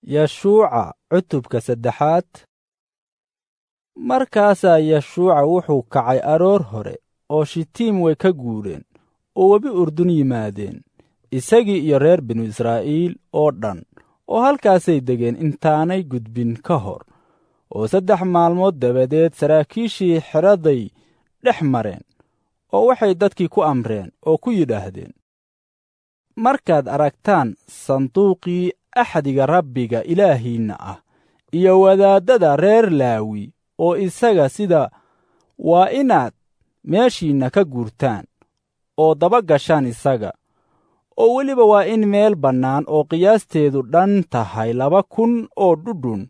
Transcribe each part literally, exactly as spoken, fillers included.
Yeshuuca cutubka saddexaad. Markaasaa Yeshuuca wuxuu kacay aroor hore oo Shitiim way ka guureen oo webi Urdun yimaadeen, isagii iyo reer binu Israa'iil oo dhan, oo halkaasay degeen intaanay gudbin ka hor. Oo saddex maalmood dabadeed saraakiishii xeraday dhex mareen, oo waxay dadkii ku amreen oo ku yidhaahdeen, markaad aragtaan sanduuqii axdiga Rabbiga Ilaahiinna ah iyo wadaaddada reer Laawi oo isaga sida, waa inaad meeshiinna ka guurtaan oo daba gashaan isaga. Oo weliba waa in meel bannaan oo qiyaasteedu dhan tahay laba kun oo dhudhun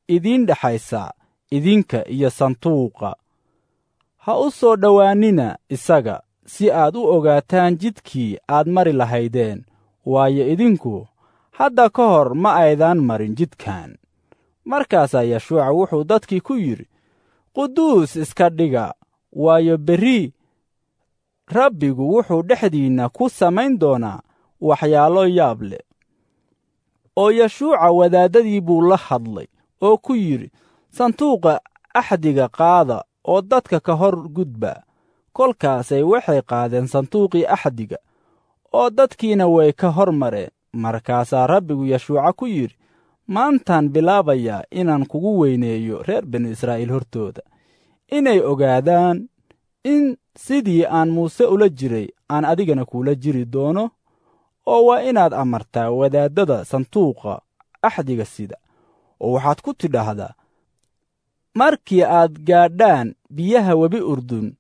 idiin dhexaysa idinka iyo sanduuqa. Ha u soo dhowaannina isaga si aad u ogaataan jidkii aad mari lahaydeen, waayo idinku hadda ka hor ma aydan marin jidkan. Markaasaa Yeshuuca wuxuu dadkii ku yidhi, quduus iska dhiga, waayo berri Rabbigu wuxuu dhexdiinna ku samayn doonaa waxyaalo yaab leh. Oo Yeshuuca wadaaddadii buu la hadlay oo ku yidhi, sanduuqa axdiga qaada oo dadka ka hor gudba. Kolkaasay waxay qaadeen sanduuqii axdiga, oo dadkiina way ka hor mareen. Markaasaa Rabbigu Yeshuuca ku yidhi, maantaan bilaabayaa inaan kugu weyneeyo reer binu Israa'iil hortooda, inay ogaadaan in sidii aan Muuse ula jiray aan adigana kuula jiri doono. Oo waa inaad amartaa wadaaddada sanduuqa axdiga sida, oo waxaad ku tidhaahdaa, markii aad gaadhaan biyaha webi Urdun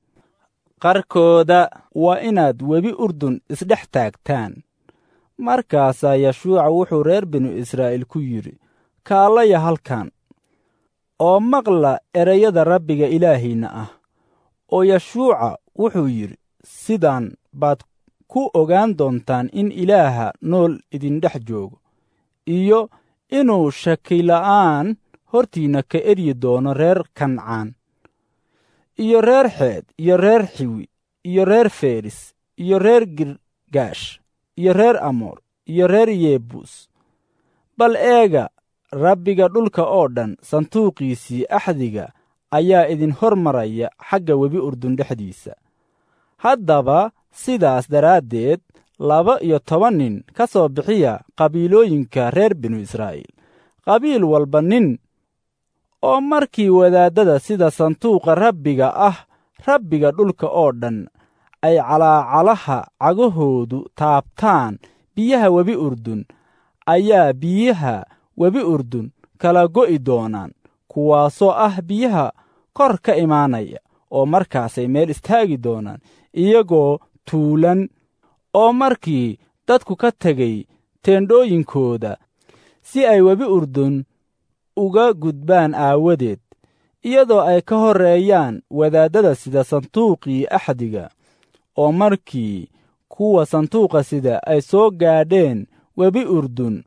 qarkooda, waa inaad webi Urdun isdhex taagtaan. Markaasaa Yeshuuca wuxuu reer binu Israa'iil ku yidhi, kaalaya halkan oo maqla erayada Rabbiga Ilaahiinna ah. Oo Yeshuuca wuxuu yidhi, sidan baad ku ogaan doontaan in Ilaaha nool idindhex joogo, iyo inuu shakila'aan hortiinna ka eryi doono reer Kancaan, iyo reer Xeed, iyo reer Xiwi, iyo reer Feris, iyo reer Girgaash, iyo reer Amoor, iyo reer Yebuus. Bal eega, Rabbiga dhulka oo dhan sanduuqiisii axdiga ayaa idin hor maraya xagga webi Urdun dhexdiisa. Haddaba sidaas daraaddeed laba iyo toban nin ka soo bixiya qabiilooyinka reer binu Israa'iil, qabiil walba nin. Oo markii wadaaddada sida sanduuqa Rabbiga ah Rabbiga dhulka oo dhan ay calaacalaha cagahoodu taabtaan biyaha webi Urdun, ayaa biyaha webi Urdun kala go'i doonaan, kuwaasoo ah biyaha kor ka imaanaya, oo markaasay meel istaagi doonaan iyagoo tuulan. Oo markii dadku ka tegey teendhooyinkooda si ay webi Urdun uga gudbaan aawadeed, iyadoo ay ka horreeyaan wadaaddada sida sanduuqii axdiga, oo markii kuwa sanduuqa sida ay soo gaadheen webi Urdun,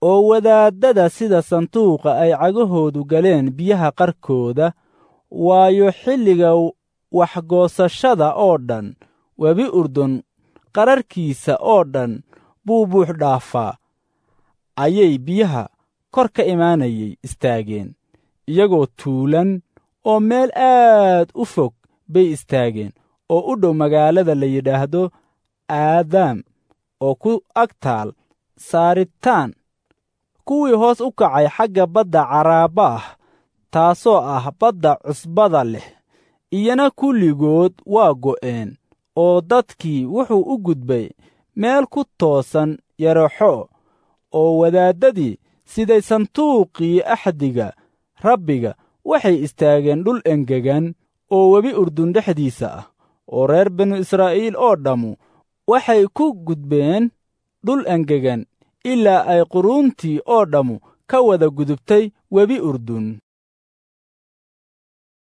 oo wadaaddada sida sanduuqa ay cagahoodu galeen biyaha qarkooda, waayo xilliga waxgoosashada oo dhan webi Urdun qararkiisa oo dhan buu buux dhaafaa, ayay biyaha kor ka imaanayay istaageen iyagoo tuulan, oo meel aad u fog bay istaageen oo u dhow magaalada la yidhaahdo Aadaam oo ku ag taal Saaritaan. Kuwii hoos u kacay xagga badda Caraaba ah, taasoo ah badda cusbada leh, iyana kulligood waa go'een, oo dadkii wuxuu u gudbay meel ku toosan Yeraxo. Oo wadaaddadii siday sanduuqii axdiga Rabbiga waxay istaageen dhul engegan oo webi Urdun dhexdiisa ah, oo reer binu Israa'iil oo dhammu waxay ku gudbeen dhul engegan ilaa ay quruuntii oo dhammu ka wada gudubtay webi Urdun.